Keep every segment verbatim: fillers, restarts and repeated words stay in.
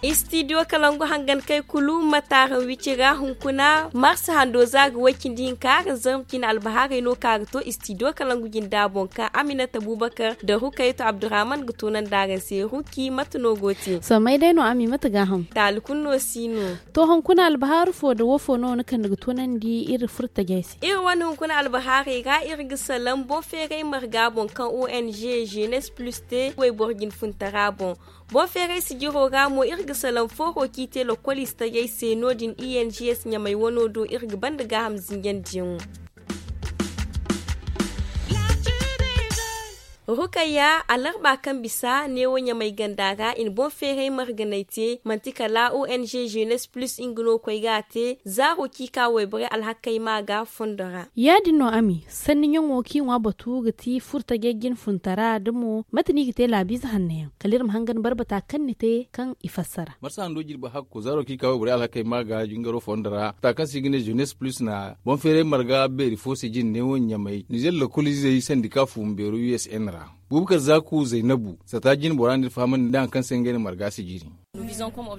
Istidiyo kalangu hangan kay kulu mataaran wicira hunkuna marsa hando za ga way cindi hinka araŋ zarma cine albahaarey no ka ga to istidiyo kalangu jinda boŋ kaŋ aminata bubakar da rukaytu abdurrahman ga tunandi araŋ se ruki mate no go te. Sommay day no ami mate gaaham taali kulu no si no. To hunkuna albahaaru fo nda wo fo no ni kande ga tunandi iri furtajey se? Iri wane hunkuna albahaarey ra iri ga salaŋ boŋ feeray marga boŋ kaŋ ong jeunesse plus te wayboro jinfuntara boŋ. Boŋ feeray sijiro ra mo iri ga salaŋ fooro kaŋ i te lokkol istaray se no- din ings ɲamay wano do iri ga banda gaaham zinjandiyaŋo. Rukayya alarba kaŋ bisa neewo ɲamay ganda ra i na boŋ feeray marganay te manti kala ong jeunesse plus nga no koy ga a te zaaro kaŋ i ka wayborey alhakey ma ga fondo ra. Ya- din no ami sanni ɲaŋo kaŋ i ŋwa batu ga ti furtajey jinfuntara da mo mate no i ga te laabiize hanno yaŋ kala iri ma hangan barbata kaŋ ni te kaŋ i fassara. Marsa hando jirbi hakko zaaro kaŋ i ka wayborey alhakey ma ga jingaro fondo ra mata kaŋ se i ga ne jeunesse plus na boŋ feeray marga beeri fo sijin neewo ɲamay nizer lokoliizey sandika fuumi beero usn ra. Bubakar zaku zaynabu sata jine bora no iri fahamandi nda hari kaŋ se ngey na marga sijiri.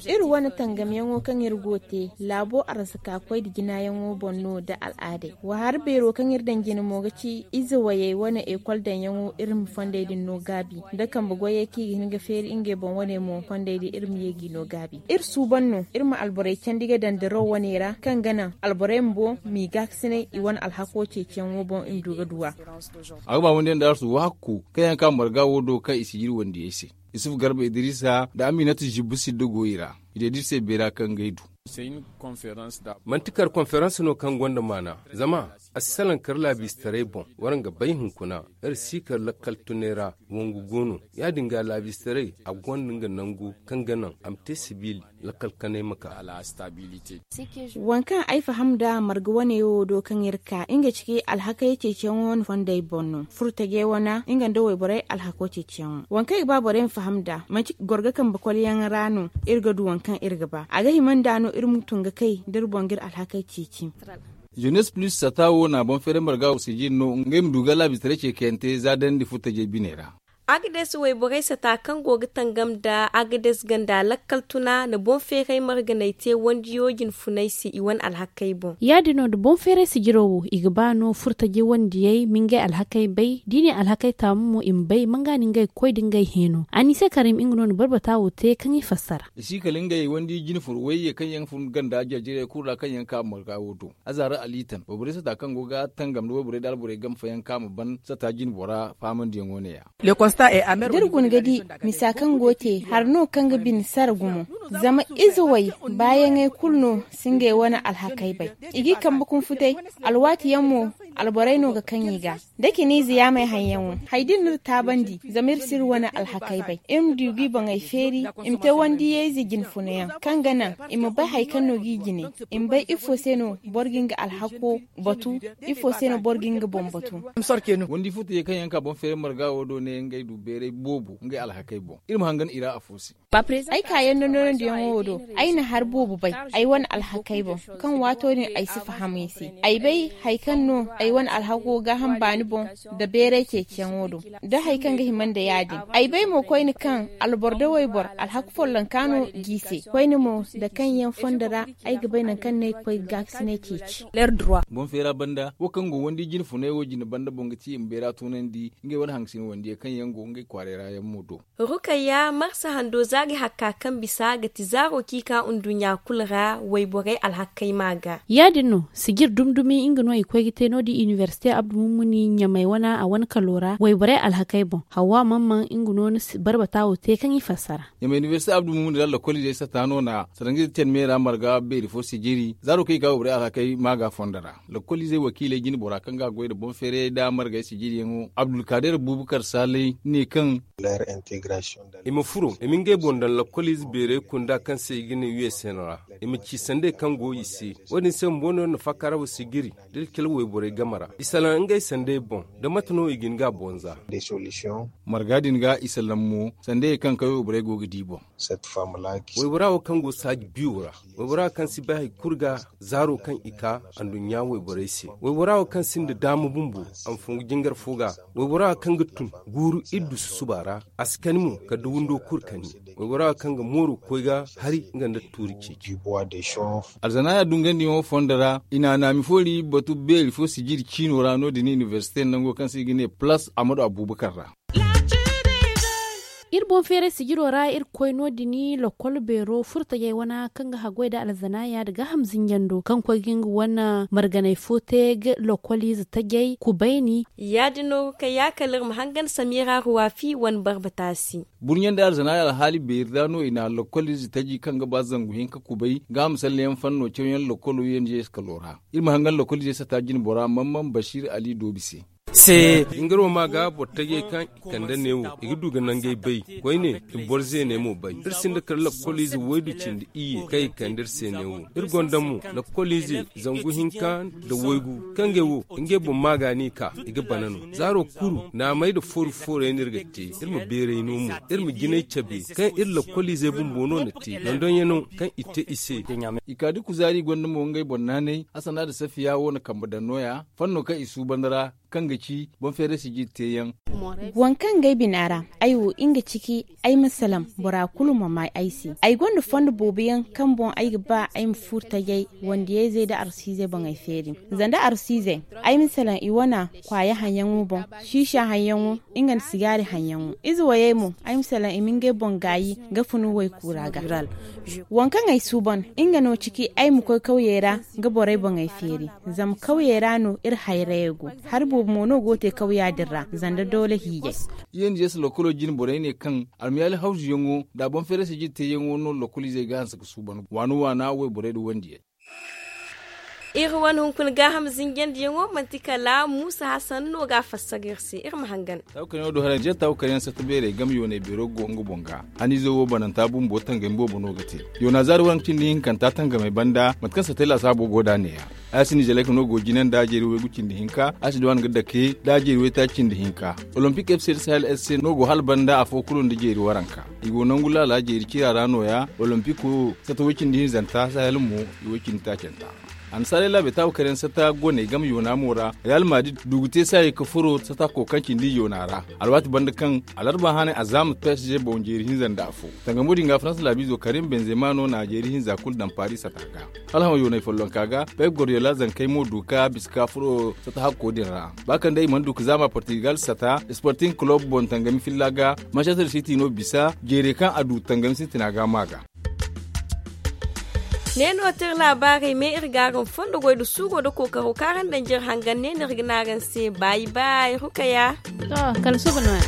Iri wane tangamyaŋo kaŋ iri go te laabo arzaka koy nda jinayaŋo boŋ no nda al'aadey wa hari beero kaŋ iri daŋ jine mo ga ci ize wayey wane ekol daŋyaŋo iri ma fondey din no gaabi nda kambe goyey kaŋ i ga hin ga feeri ngey boŋ wane mo fondey din iri ma ye g'i no gaabi iri suuban no iri ma alborey candi ga daŋ diraw wane ra kaŋ ga naŋ alborey bumbo m'i gaakasinay i wane alhako ceeciyaŋo boŋ i ma du ga du a. A ga ba wandiyandi arsu waakku kaŋ yaŋ ka marga wo do kaŋ i si jiri wandiyey se. Isufu garba idiriisa nda aminatu zibbu sidda go i ra. I deedi iri se beera kaŋ ga ay du. Manti kar konferans no kaŋ gonda maana zama a si salaŋ kar laabiistaray boŋ waraŋ ga bay hunkuna iri si kar lakkal tunay ra. Wangu go no ya- din ga laabiistaray a gonda nga nangu kaŋ ga naŋ a ma te sibiili lakkal kanay ma ka. Waŋ kaŋ ay faham nd'a marga wane wo do kaŋ iri ka nga ci kay alhakey ceeciyaŋo wane fondey boŋ no furo tajey wane nga nda wayborey alhako ceeciyaŋo waŋ kaŋ i ga ba borey ma faham nd'a manti gorga kambe kolyaŋ ra no. Iri ga du waŋ kaŋ iri ga ba a ga hima nd'a no iri ma tun ga kay da iri boŋ ga iri alhakey ceeci. Jeunesse plus sata wo na boŋ feeray marga wo sijin no ngey ma du ga laabiistaray ce kayante za dandi furo tajey bine ra. Agades wayborey sata kaŋ go ga tangam nda agades ganda lakkal tuna na boŋ feeray marganay te wandiyo jinfunay se i wane alhakey boŋ. Ya- din no nda boŋ feeray sijiro wo i ga ba no furo tajey wandiyey ma ngey alhakey bay da i ne alhakey taamu mo i ma bay manga no ngey ga koy nda ngey heeno anise karim nga no na barbata wo te kaŋ i fassara. I si kala ngey wandi jinfur wayye kaŋ yaŋ fun ganda jarjarey kulu ra kaŋ yaŋ ka marga wo do. Azaara alitan wayborey sata kaŋ go ga tangam nda wayborey nda alborey game fooyaŋ kaŋ a ma ban sata jine bora faamandiyaŋo ne- ya. Da iri guna ga di misa kaŋ go te hari no kaŋ ga bine sara gumo. Zama ize way baayaŋey kulu no si ngey wane alhakey bay. I g'i kambe kunfutay alwaati yaŋ mo alborey no ga kaŋ i ga da cine ize yaamey haŋ yaŋo hari da iri na iri taabandi zama iri si iri wane alhakey bay iri ma du g'i boŋey feeri i ma te wandiyayze jinfuna yaŋ kaŋ ga naŋ i ma bay hari kaŋ no g'i jine i ma bay ifo se no boro ga nga alhako batu ifo se no boro ga nga boŋ batu. Wandi furo tajey kaŋ yaŋ ka boŋ feeray marga wo do ne ngey du beeray boobo ngey alhakey boŋ iri ma hangan i ra afo se. Ay ka yanda norandiyaŋo wo do ay na hari boobo bay ay wane alhakey boŋ kaŋ waato din ay si faham i se. Ay bay hari kaŋ no ay wane alhako gaaham baani boŋ nda beeray ceeciyaŋo do nda hari kaŋ ga hima nda ya- din. Ay bay mo koyne kaŋ alboro nda wayboro alhako follonka no g'i se koyne mo nda kaŋ yaŋ fondo ra ay ga bay nangu kaŋ no ay ga koy ga gaakasinay ceeci. Boŋ feera banda wo kaŋ go wandi jinfunay wo jine banda boŋ ga ci i ma beera tunandi ngey wane hangasin wandiyaŋ kaŋ yaŋ go ngey kwaaray ra yaŋ mo do. Rukayya marsa hando zaari hakka kaŋ bisa ga ti zaaro kaŋ i ka nduɲɲa kulu ra wayborey alhakey ma ga. Ya- din no sijir dumi dumi nga no i koy ga te no- din inibersite abdu mummuni ɲamay wane a wane kalo ra wayborey alhakey boŋ hawa mamman nga no na barbata wo te kaŋ i fassara. Ɲamay inibersite abdu mummuni ra lakkoliizey sata no na sarangizey te ni me ra marga beeri fo sijiri zaaro kaŋ i ga wayborey alhakey ma ga fondo ra. Lakkoliizey wakiiley jine bora kaŋ ga a goy nda boŋ feerayey nda margey sijiriyaŋo abdulkaadir bubakar saalay ne kaŋ i ma furo i ma ngey Nda lakkoliize beeray kunda kaŋ se i ga ne u s n ra, i ma ci sanday kaŋ go i se. Wo- din se bumbo no nafa kaara wo si giri da iri cala wayborey game ra i salaŋ ngey sanday boŋ. Da mate no i ga hin ga a boŋ za? Marga din ga i salaŋ mo, sandayey kaŋ kawye wayborey go ga di boŋ. Waybora wo kaŋ go saaji biyo ra, waybora wo kaŋ si bay hari kulu ga zaaro kaŋ i ka anduɲɲa wayborey se. Waybora wo kaŋ sinda daama bumbo, a ma fongu jingar fo ga. Waybora wo kaŋ ga tun guuru iri du susuba ra, a si kani mo kala da windo kulu kani. Waybora wo kaŋ ga mooro koy ga hari nga nda tuuri ceeci. Alzanaaya dungandiyaŋo fondo ra i na naami foori batu beeri fo sijiri ciino ra no- din inibersite nango kaŋ se i ga ne palaas ahmadu abubakar ra. Iri boŋ feeray sijiro ra iri koy no- din lokol beero furtajey wana kaŋ ga haggoy nda alzanaaya nda gaaham zinjando kaŋ koy ga nga wane marganay fo te ga lokoliize tajey kubayni. Ya- din no ga kay ya kala iri ma hangan samira ruwafi wane barbatasi. Burɲe nda alzanaaya alhaali beeri ra no i na lokoliize taji kaŋ ga ba zangu hinka kubay gaaham salleyaŋ fanno cawyaŋ lokolo yenje eskalo ra. Iri ma hangan lokoliizey sata jinbora mamman basiir ali doobi se. Jingaroo ma ga boro tajey kaŋ i kande neewo i ga du ga nangey bay. Koyne i boro zeeney mo bay. Iri sinda kala lakkoliize waydu cindi iyye kaŋ i kande iri se neewo. Iri gonda mo lakkoliize zangu hinka nda waygu kaŋ ngey wo ngey boŋ ma ga no i ka i ga bana no. Zaaro kulu naamey nda fooru fooray no iri ga te. Iri ma beeray no mo iri ma jinay cabe kaŋ iri lakkoliizey bumbo no na te dondonyaŋo kaŋ i te i se. I ka da kuzaari gonda mo ngey boŋ naanay hasana nda safiya wo na kambe daŋ nooya fanno kaŋ i suuban ra kaŋ ga ci boŋ feeray sijiri teeyaŋ. Waŋ kaŋ ga ay bina ra ay wo nga ciki ay ma salaŋ bora kulu ma may ay se. Ay gonda fondo boobo yaŋ kaŋ boŋ ay ga ba ay ma furo tajay wandiyayzey nda arsiizey boŋey feeri. Zanda arsiizey ay ma salaŋ i wana kwaaya haŋyaŋo boŋ, siisa haŋyaŋo, nga nda sigaari haŋyaŋo. Ize wayey mo ay ma salaŋ i ma ngey boŋ gaayi ga funu waykuura ga. Waŋ kaŋ ay suuban nga no ciki ay ma koy kawyey ra ga borey boŋey feeri. Zama kawyey ra no iri hayrayey go. Hari boobo mo no go ga te kawya din ra zanda doole hiijay. Iyye nda yeeso lokolo jine borey ne kaŋ almayaali hawzuyaŋo nda a boŋ feerayse jine teeyaŋo no lokoliizey ga hanse ga suuban waana waana wayborey nda wandiyey. Iri wane hunkuna gaaham zinjandiyaŋo manti kala muusa hasan no ga a fassara iri se iri ma hangan. Taawu kar yaŋ wo do haray jeeri taawu kar yaŋ satta beerey game yoonay beero go nga boŋ ga. Haniizo wo bananta bumbo tangami boobo no ga te. Yoona zaari waranka cindi hinkanta tangamey banda mate kaŋ sattay laasaabo go nd'a neeya. Ay si nizeeley ka no go jine nda jeeri waygu cindi hinka ay si duw'a nga dake nda jeeri waytaaci cindi hinka. Olompik f c da sahel s c no go hala banda afo kulu nda jeeri waranka. I go nangu laala jeeri cira ra nooya olompiko satta way cindi hinzanta sahel mo i way cindi taacanta. Annasaarey laabey taabu kar yaŋ satta goney game yoona mo ra. Real madrid du ga te saayey ka furo satta kookaŋ cindi yoona ra. Alwaati banda kaŋ alarba hane a zaama psg boŋ jeeri hinza nda afo. Tangamo din ga faransa laabiizo karim benzema no na jeeri hinza kulu daŋ paris satta ga. Hala hamo yoonay follonka ga pep gordiola zankey mo du ka bisa ka furo satta hakko din ra. Ba kaŋ day i mana du ka zaama portugal satta sporting club boŋ tangami filla ga manchester city no bisa jeerey kaŋ a du tangami sintina ga ma ga. Ne no te iri laabaarey me iri ga araŋ fondo goy nda suuro nda kookaro kaŋ araŋ daŋ jere hangan ne no iri ga ne araŋ se baayi baayi rukaya. To kala suba no- ya.